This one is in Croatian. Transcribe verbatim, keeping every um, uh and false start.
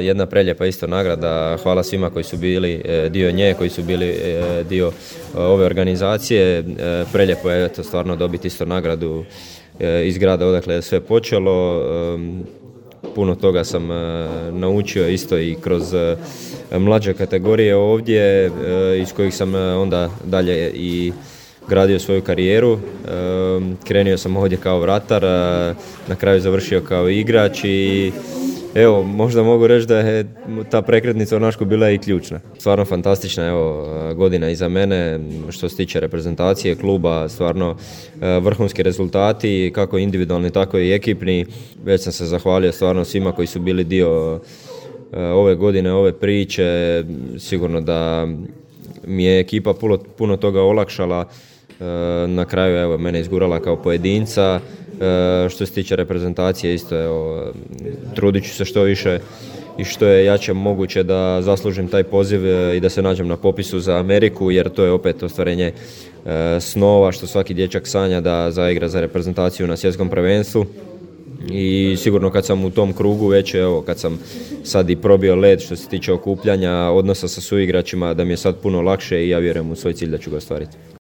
Jedna prelijepa isto nagrada, hvala svima koji su bili dio nje, koji su bili dio ove organizacije. Prelijepo je eto, stvarno dobiti isto nagradu iz grada odakle je sve počelo. Puno toga sam naučio isto i kroz mlađe kategorije ovdje, iz kojih sam onda dalje i gradio svoju karijeru. Krenuo sam ovdje kao vratar, na kraju završio kao igrač i evo, možda mogu reći da je ta prekretnica u Našku bila i ključna. Stvarno fantastična evo, godina iza mene što se tiče reprezentacije kluba, stvarno vrhunski rezultati, kako individualni, tako i ekipni. Već sam se zahvalio stvarno svima koji su bili dio ove godine, ove priče. Sigurno da mi je ekipa puno, puno toga olakšala. Na kraju evo, mene izgurala kao pojedinca. Što se tiče reprezentacije isto, evo, trudit ću se što više i što je jače moguće da zaslužim taj poziv i da se nađem na popisu za Ameriku, jer to je opet ostvarenje snova što svaki dječak sanja da zaigra za reprezentaciju na svjetskom prvenstvu. I sigurno kad sam u tom krugu već, evo, kad sam sad i probio led što se tiče okupljanja, odnosa sa suigračima, da mi je sad puno lakše i ja vjerujem u svoj cilj da ću ga ostvariti.